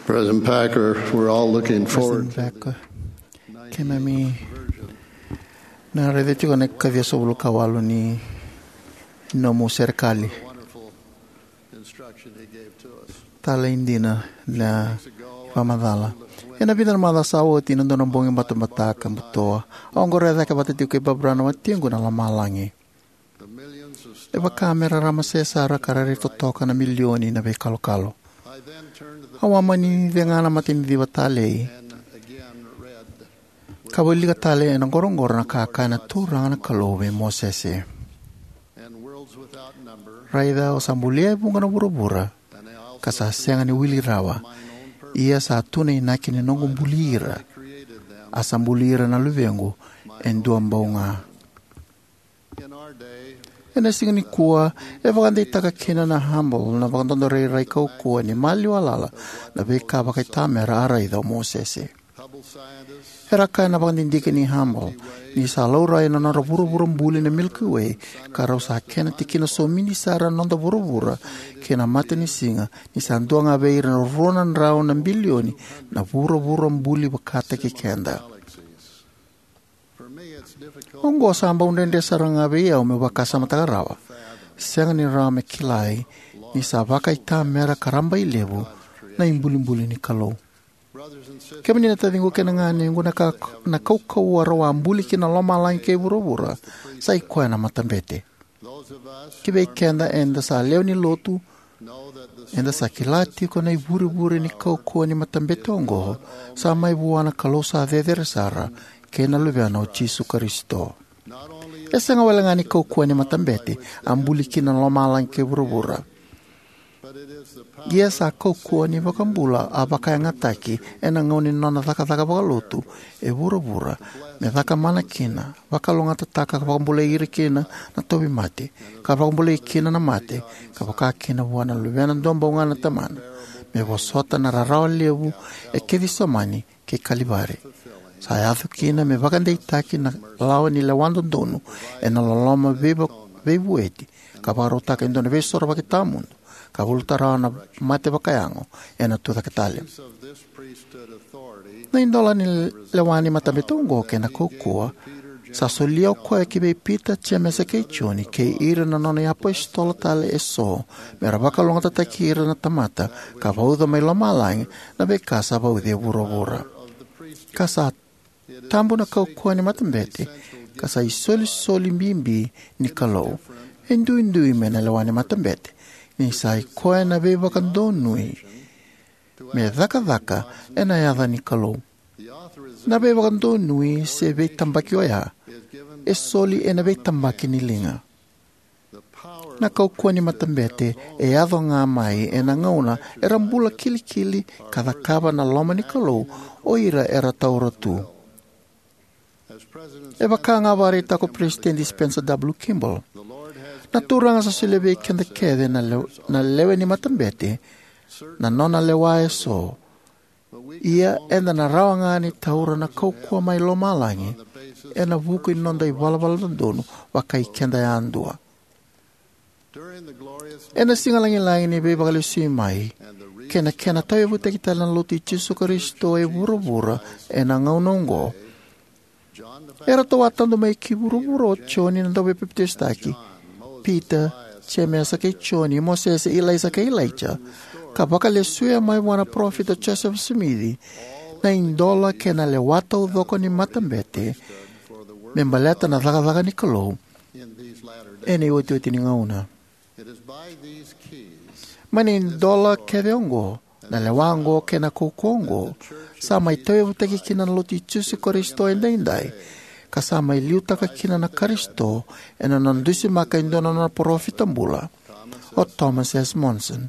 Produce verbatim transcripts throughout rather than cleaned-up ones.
President Packer, we're all looking forward to Packer, keimami na raica tiko na kaciasagavulu ka walu ni nomu serekali. Wonderful instruction he gave to us. Talei dina na vakamacala. Ena vica na macawa sa oti, na dua na bogi batabata ka butoa, au qoroya cake vata tiko kei Barbara na watiqu na lomalagi. E vaka me rarama sesara ka rairai totoka na milioni na veikalokalo. Au a mani cega na Mataniciva Talei ka wilika tale ena qoroqoro na ka e kaya na Turaga na Kalou vei Mosese: Raica, au sa bulia e vuqa na vuravura, ka sa sega ni wili rawa, ia sa tu na inaki ni noqu buli ira. A sa buli ira na luvequ e dua bau ga. Ena siga nikua, e vakadeitaka kina na Humboldt na vakadodorairai kaukauwa ni maliwa lala na veika vakaitamera a raica o Mosese. Era kaya na vakadidike ni Humboldt ni sa laurai na nodra vuravura buli na Milky Way, ka rau sa kena tikina somidi sara na noda vuravura kei na matanisiga, ni sa dua ga vei ira na rua na drau na bilioni na vuravura buli vakataki keda. Oqo sa bau dredre sara ga vei au meu vakasamataka rawa. Sega ni rawa me kilai ni sa vakaitamera ka rabailevu na ibulibuli ni Kalou. Kemuni na taciqu kei na ganequ, na ka, na kaukauwa rau a buli kina na lomalagi kei vuravura, sa i koya na matabete. Ki vei keda eda sa lewe ni lotu, eda sa kila tiko na ivurevure ni kaukauwa ni matabete oqo sa mai vua na Kalou sa cecere sara kei na Luvena o Jisu Karisito. E sega wale ga ni kaukauwa ni matabete a buli kina na lomalagi kei vuravura, ia sa kaukauwa ni iVakabula a vakayagataki ena gauna ni nona cakacaka vakalotu e vuravura, me cakamana kina, vakalougatataka ka vakabulai ira kina na tauvimate, ka vakabulai kina na mate, ka vaka kina vua na Luvena duabau ga na Tamana, me vosota na rarawa levu e Kecisemani kei Kalivari. Sa yaco kina me vakadeitaki na lawa ni lewa dodonu ena loloma veiva-, veivueti, ka vakarautaka e dua na veisorovaki tawamudu, ka valuta rawa na mate vakayago ena tucake tale. Na idola ni lewa ni matabete oqo kei na kaukauwa sa solia o koya ki vei Pita, Jemesa kei Joni, kei ira na nona iapositolo tale eso, me ra vakalougatataki ira na tamata ka vauca mai lomalagi na veika sa vauci e vuravura. Ka sa tabu na kaukauwa ni matabete, ka sa isolisoli bibi ni Kalou. E duidui mai na lewa ni matabete, ni sa i koya na veivakadonui me cakacaka ena yaca ni Kalou. Na veivakadonui se veitabaki oya e soli ena veitabaki ni liga. Na kaukauwa ni matabete e yaco ga mai ena gauna era bula kilikili ka cakava na loma ni Kalou o ira era taura tu. E vaka ga vakaraitaka ko Peresitedi Spencer W. Kimball, na Turaga sa solia vei keda kece na lew-, na lewe ni matabete na nona lewa eso. Ia eda na rawa ga ni taura na kaukauwa mai lomalagi ena vuku ni noda ivalavala dodonu vakai keda yadua. Ena siga lagilagi ni Veivakalesui mai kei na kena tauyavutaki tale na Lotu i Jisu Karisito e vuravura ena gauna oqo, eratou a tadu mai ki vuravura o Joni na Dauveipapitaisotaki, Pita, Jemesa kei Joni, Mosese, Ilaisa kei Ilaija, ka vakalesuya mai vua na parofita o Josefa Simici na idola kei na lewa taucoko ni matabete me baleta na cakacaka ni Kalou ena iotioti ni gauna. Mai na idola kece oqo, na lewa oqo kei na kaukauwa oqo, sa mai tauyavutaki kina na Lotu i Jisu Karisito edaidai, ka sa mai liutaka kina na Karisito ena nona dusimaka e dua na nona parofita bula, o Thomas S. Monson,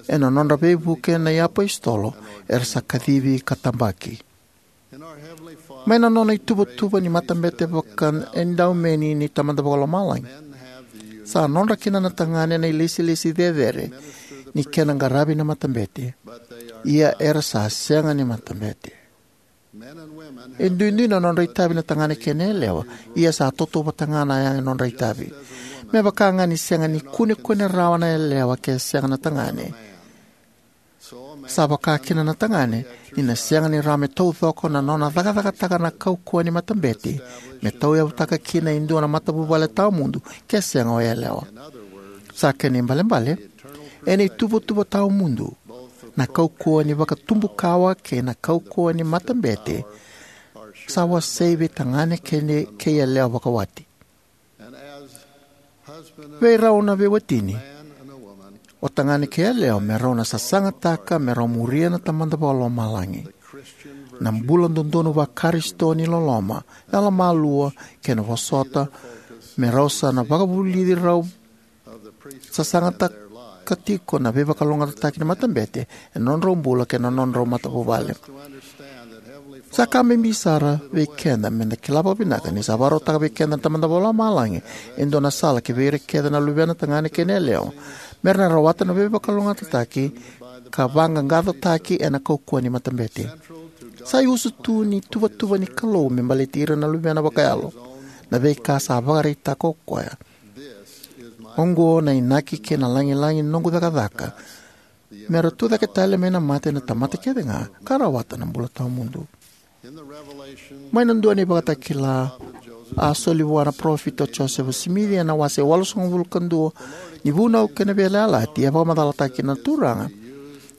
ena nodra veivuke na iapositolo era sa kacivi ka tabaki. Mai na nona ituvatuva ni matabete vakaedaumeni ni Tamada Vakalomalagi, sa nodra kina na tagane na ilesilesi cecere ni kena qaravi na matabete, ia era sa sega ni matabete. E duidui na nodra itavi na tagane kei na yalewa, ia sa tautauvata ga na yaga ni nodra itavi. Me vaka ga ni sega ni kunekune rawa na yalewa ke sega na tagane, Sa vaka kina na tagane, ni na sega ni rawa me taucoko na nona cakacakataka na kaukauwa ni matabete, me tauyavutaka kina e dua na matavuvale tawamudu, ke sega o yalewa. Sa kena ibalebale, ena ituvatuva tawamudu, na kaukauwa ni vakatubukawa kei na kaukauwa ni matabete sa wasei vei tagane kei, kei yalewa vakawati. Vei rau na veiwatini, o tagane kei yalewa me rau na sasagataka me rau muria na Tamada Vakalomalagi. Na bula dodonu Vakarisito ni loloma, yalomalua, kei na vosota, me rau sa na vakavulici rau sasagataka tiko na veivakalougatataki ni matabete ena nodrau bula kei na nodrau matavuvale. Sa ka bibi sara vei keda meda kila vakavinaka ni sa vakarautaka vei keda na Tamada Vakalomalagi e dua na sala ki vei ira kece na luvena tagane kei na yalewa, mera na rawata na veivakalougatataki ka vaqaqacotaki ena kaukauwa ni matabete. Sa iusutu ni tuvatuva ni Kalou me baleti ira na luvena vakayalo na veika sa vakaraitaka o koya. Oqo na inaki kei na lagilagi ni noqu cakacaka, mera tucake tale mai na mate na tamata kece ga ka rawata na bula tawamudu. Mai na dua na ivakatakila a soli vua na parofita o Josefa Simici ena wase walusagavulu ka dua ni Vunau kei na Veiyalayalati, e vakamacalataka kina na Turaga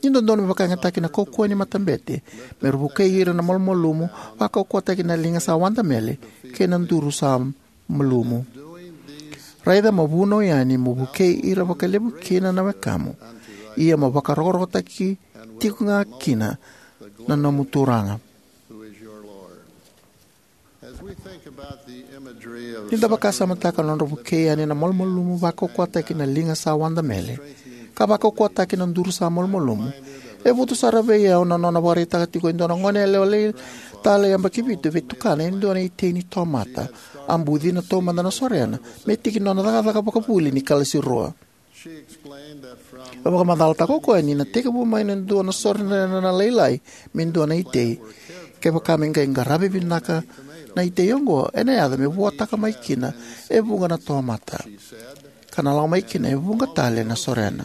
ni dodonu me vakayagataki na kaukauwa ni matabete mera vukei ira na malumalumu, vakaukauwataki na liga sa wadamele kei na duru sa malumu. Raica mo vunau yani mo vukei ira vakalevu kina na wekamu, ia mo vakarokorokotaki tiko ga kina na nomu Turaga. Ni da vakasamataka na nodra vukei yani na malumalumu, vakaukauwataki na liga sa wadamele, ka vakaukauwataki na duru sa malumalumu, e votu sara vei au na nona vakaraitaka tiko e dua na goneyalewa lai tale yabaki vitu vei tukana e dua na itei ni tomata a bucina taumada na sorena me tiki nona cakacaka vakavuli ni kalasi rua. E vakamacalataka o koya ni na tekivu mai na dua na sorena lailai me dua na itei. Kevaka me qai qaravi vinaka na itei oqo, ena yaco me vuataka mai kina e vuqa na tomata, ka na lako mai kina e vuqa tale na sorena.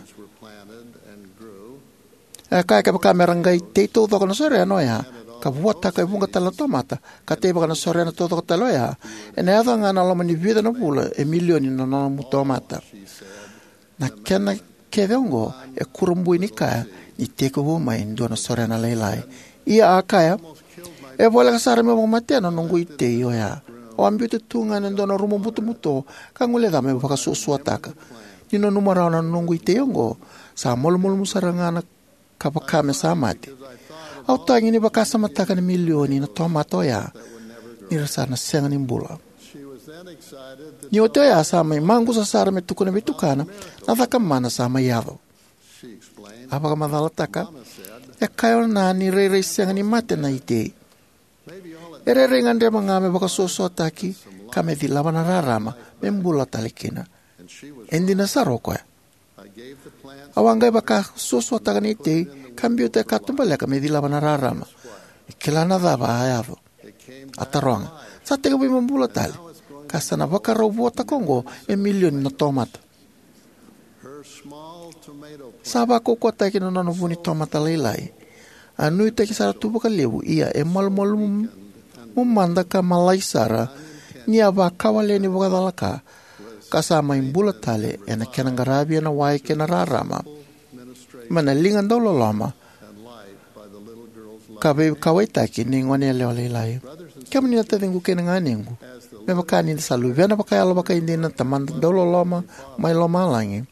E kaya kevaka mera qai tei taucoko na sorena oya ka vuataka e vuqa tale na tomata, ka teivaka na sorena taucoko tale oya, ena yaco ga na loma ni vica na vula e milioni na nomu tomata. Na kena kece oqo e kurabui ni kaya ni tekivu mai e dua na sorena lailai. Ia a kaya, e voleka sara meu vakamatea na noqu itei oya. Au a biuta tu ga ena dua na rumu butobuto ka guileca meu vakasuasuataka. Ni nanuma rawa na noqu itei oqo, sa malumalumu sara ga na ka vaka me sa mate. Au tagi ni vakasamataka na milioni na tomata oya, ni ra sa na sega ni bula. Ni oti oya sa mai maqusa sara me tukuna vei tukana na caka mana sa mai yaco. A vakamacalataka, e kaya o Na ni rairai sega ni mate na itei. E rairai gadreva ga me vakasuasuataki ka me cilava na rarama me bula tale kina. E dina sara o koya. Au a qai vakasuasuataka na itei ka biuta e katubaleka me cilava na rarama. E kila na cava a yaco? A taroga, sa tekivu me bula tale, ka sa na vakarau vuataka oqo e milioni na tomata. Sa vakaukauwataki na nona vu ni tomata lailai. A nuitaki sara tu vakalevu, ia e malumalumu mada ka malai sara, ni a vakawaleni vakacalaka, ka sa mai bula tale ena kena qaravi ena wai kei na rarama mai na liga dauloloma ka veikauwaitaki ni goneyalewa lailai. Kemuni na taciqu kei na ganequ, me vaka ni da sa luvena vakayalo vakaidina na Tamada dauloloma mai lomalagi,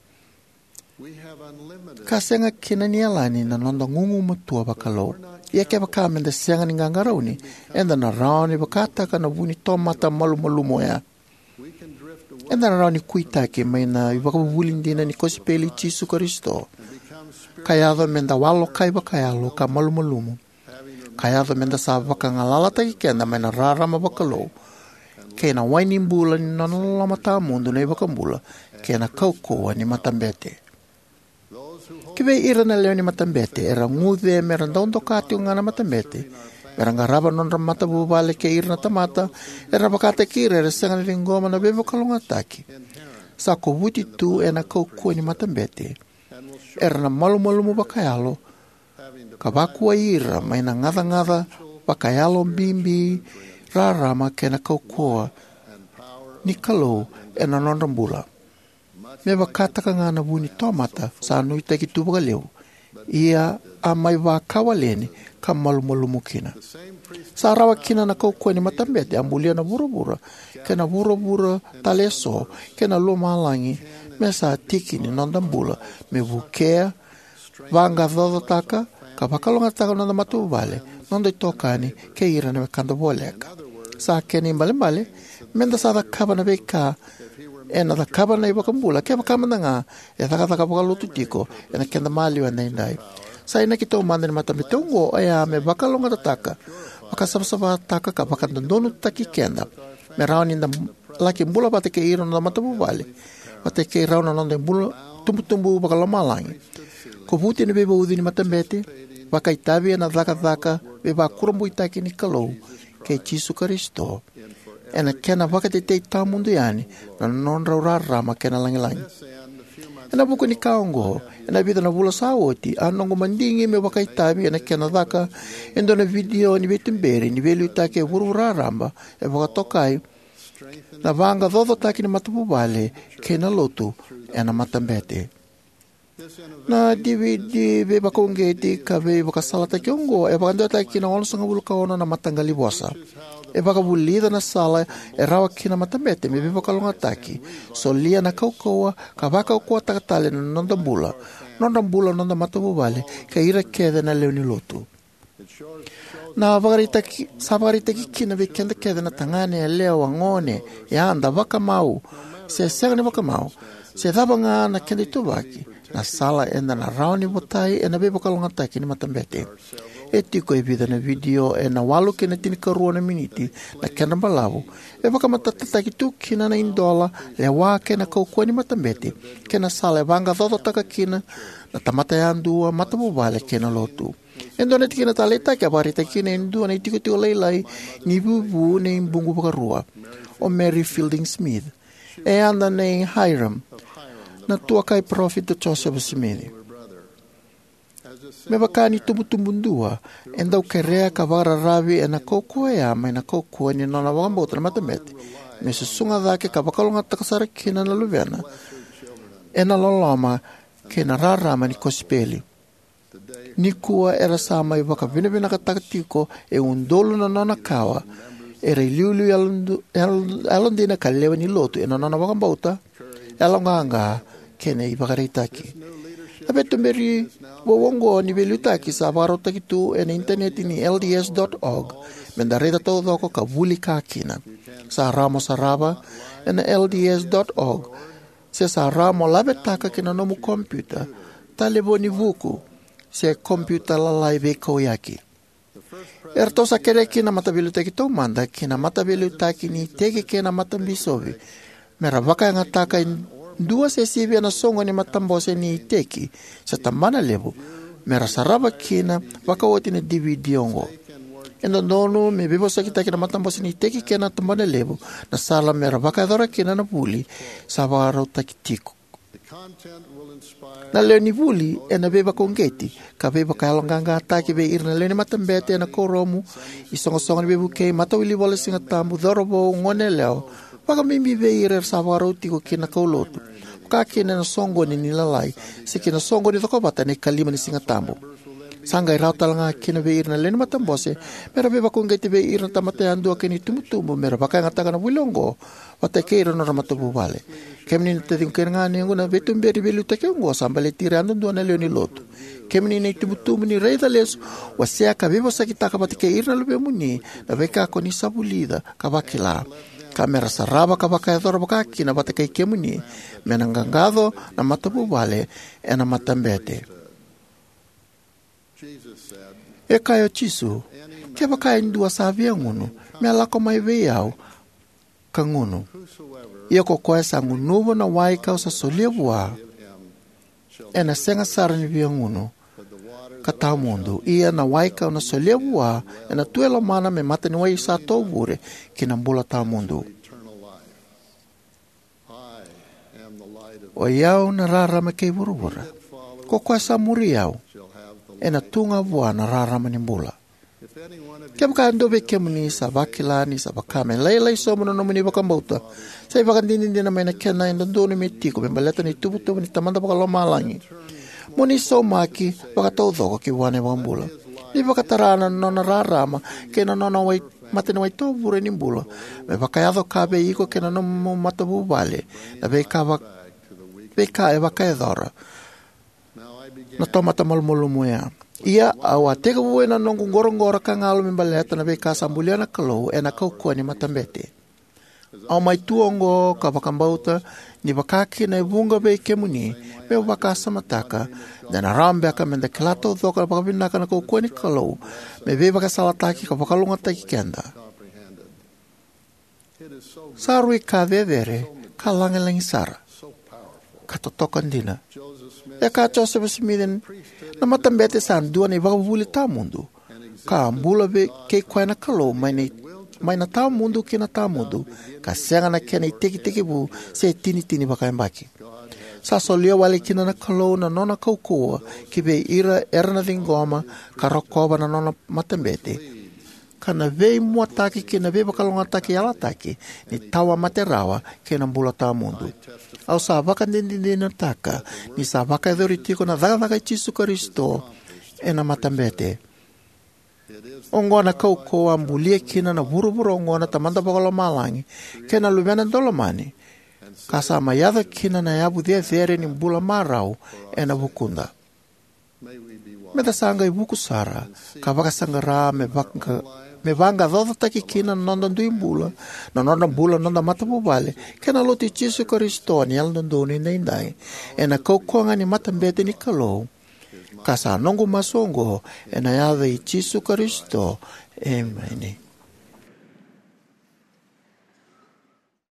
ka sega kina ni yalani na noda gugumatua vakalou. Ia kevaka meda sega ni qaqarauni, eda na rawa ni vakataka na vu ni tomata malumalumu oya. Eda na rawa ni kuitaki mai na ivakavuvuli dina ni kosipeli i Jisu Karisito, ka yaco meda walokai vakayalo ka malumalumu, ka yaco meda sa vakagalalataki keda mai na rarama vakalou kei na wai ni bula ni nona loloma tawamudu na iVakabula kei na kaukauwa ni matabete. Ki vei ira na lewe ni matabete era guce mera dau doka tiko ga na matabete mera qarava na nodra matavuvale kei ira na tamata era vakataki ira era sega ni ciqoma na veivakalougatataki sa kovuti tu ena kaukauwa ni matabete, era na malumalumu vakayalo ka vakuai ira mai na gacagaca vakayalo bibi, rarama kei na kaukauwa ni Kalou ena nodra bula, me vakataka ga na vu ni tomata sa nuitaki tu vakalevu, ia a mai vakawaleni ka malumalumu kina. Sa rawa kina na kaukauwa ni matabete a bulia na vuravura kei na vuravura tale eso kei na lomalagi, me sa tiki ni noda bula me vukea, vaqaqacotaka, ka vakalougatataka noda matavuvale, noda itokani, kei ira na wekada voleka. Sa kena ibalebale, meda sa cakava na veika ena cakava na iVakabula kevaka mada ga e cakacaka vakalotu tiko ena keda maliwa edaidai. Sa inaki taumada ni matabete oqo oya me vakalougatataka, vakasavasavataka, ka vakadodonutaki keda me rawa ni da laki bula vata kei ira na noda matavuvale, vata kei rau na noda bula, tubutubu vakalomalagi. Kovuti ena veivauci ni matabete, vakaitavi ena cakacaka veivakurabuitaki ni Kalou kei Jisu Karisito, ena kena vakatetei tawamudu yani na nodrau rarama kei na lagilagi. Ena vuku ni ka oqo, ena vica na vula sa oti, a noqu madigi meu vakaitavi ena kena caka e dua na vidio ni veituberi ni veiliutaki e vuravura raraba, e vakatokai Na Vaqaqacotaki ni Matavuvale kei na Lotu ena Matabete. Na D V D veivakauqeti ka veivakasalataki oqo e vakadewataki ki na onosagavulu ka ono na mataqali vosa. E vakavulica na sala e rawa kina na matabete me veivakalougatataki, solia na kaukauwa, ka vakaukauwataka tale na noda bula, nodra bula na noda matavuvale, kei ira kece na lewe ni Lotu. Na vakaraitaki, sa vakaraitaki kina vei keda kece na tagane, yalewa, gone, yada, vakamau, se sega ni vakamau, se cava ga na keda ituvaki, na sala eda na rawa ni votai ena veivakalougatataki ni matabete. E tiko e vica na vidio ena walu ki na tinikarua na miniti na kedra balavu. E vakamatatataki tu kina na idola, lewa kei na kaukauwa ni matabete, kei na sala e vaqaqacotaka kina na tamata yadua, matavuvale kei na Lotu. E dua na tikina taleitaki a vakaraitaki kina e dua na itikotiko lailai ni vuvu nei Buqu Vakarua, o Mary Fielding Smith. E yada nei Hyrum, na tuakai parofita Joseph Smith. Me vaka ni tubutubu dua, e dau kerea ka vakararavi ena kaukauwa oya mai na kaukauwa ni nona vakabauta na matabete, me susuga cake ka vakalougatataka sara kina na luvena ena loloma kei na rarama ni kosipeli. Nikua era sa mai vakavinavinakataka tiko e udolu na nona kawa era iliuliu yalodu-, yal-, yalodina ka lewe ni Lotu ena nona vakabauta, yaloqaqa, kei na ivakaraitaki. Na veituberi vou oqo ni veiliutaki sa vakarautaki tu ena initaneti ni L D S dot org, meda raica taucoko ka vuli ka kina. Sa rawa mo sarava ena L D S dot org, se sa rawa mo lavetaka ki na nomu kompiuta, talevoni vuku, se kompiuta lalai veikauyaki. Eratou sa kerea kina na mataveiliutaki taumada kei na mataveiliutaki ni iteki kei na matabisopi mera vakayagataka e dua se sivia na soqoni ni matabose ni iteki se tabana levu mera sarava kina vakaoti na D V D oqo. E dodonu me veivosakitaki na matabose ni iteki kei na tabana levu na sala mera vakayacora kina na vuli sa vakarautaki tiko. Na lewe ni vuli ena veivakauqeti ka veivakayaloqaqataki vei ira na lewe ni matabete ena kuoramu, isoqosoqo ni veivukei, matawilivola ni Sigatabu, cauravou, goneyalewa, vakabibi vei ira era sa vakarau tiko ki na kaulotu, vakakina ena soqoni ni lalai se ki na soqoni cokovata ena ikalima ni Sigatabu. Sa qai rawa talega kina vei ira na lewe ni matabose mera veivakauqeti vei ira na tamata yadua kei na itubutubu mera vakayagataka na vuli oqo vata kei ira na nodra matavuvale. Kemuni na taciqu kei na ganequ, na veituberi ni veiliutaki oqo sa baleti ira yadudua na lewe ni Lotu. Kemuni na itubutubu, ni raica lesu, wasea ka veivosakitaka vata kei ira na luvemuni na veika ko ni sa vulica ka vakila, ka mera sarava ka vakayacora vakakina vata kei kemuni, me na qaqaco na matavuvale ena matabete. E kaya o Jisu, "Kevaka e dua sa via gunu, me lako mai vei au ka gunu. Ia ko koya sa gunuva na wai kau sa solia vua, ena sega sara ni via gunu ka tawa mudu. Ia na wai kau na solia vua, ena tu e lomana me mata ni wai sa tovure ki na bula tawa mudu. O i au na rarama kei vuravura. Ko koya sa muri au, Ena tu ga vua na rarama ni bula. Kevaka e dua vei kemuni sa vakila ni sa vaka me lailai sobu na nomuni vakabauta, sa ivakadinadina mai na kena e dodonu me tiko me baleta na ituvatuva ni Tamada Vakalomalagi, mo ni saumaki vakataucoko ki vua na iVakabula. Ni vakatara na nona rarama kei na nona wai, mataniwai tovure ni bula me vakayaco ka vei iko kei na nomu matavuvale na veika, va, veika e vakayacora na tomata malumalumu oya. Ia au a tekivu ena noqu qoroqoro ka galu me baleta na veika sa bulia na Kalou ena kaukauwa ni matabete. Au mai tu oqo ka vakabauta ni vaka kina e vuqa vei kemuni, meu vakasamataka de na rawa beka me da kila taucoko vakavinaka na kaukauwa ni Kalou me veivakasalataki ka vakalougatataki keda. Sa rui ka cecere ka lagilagi sara ka totoka dina. E kaya o Josefa Simici, na matabete sa dua na ivakavuvuli tawamudu, ka a bula vei kei koya na Kalou mai na, mai na tawamudu ki na tawamudu, ka sega na kena itekitekivu se itinitini vakayabaki. Sa solia wale kina na Kalou na nona kaukauwa ki vei ira era na ciqoma ka rokova na nona matabete, ka na veimuataki kei na veivakalougatataki yalataki ni tawamate rawa kei na bula tawamudu. Au sa vakadinadinataka ni sa vakayacori tiko na cakacaka i Jisu Karisito ena matabete. Oqo na kaukauwa a bulia kina na vuravura oqo na Tamada Vakalomalagi kei na Luvena Daulomani, ka sa mai yaco kina na yavu cecere ni bula marau ena vukuda. Me da sa qai vuku sara ka vakasaqara me vaka, me vaqaqacotaki kina na noda dui bula, na noda bula, na noda matavuvale kei na Lotu i Jisu Karisito ni Yalododonu Edaidai, ena kaukauwa ga ni matabete ni Kalou. Ka sa noqu masu oqo ena yaca i Jisu Karisito. Emeni.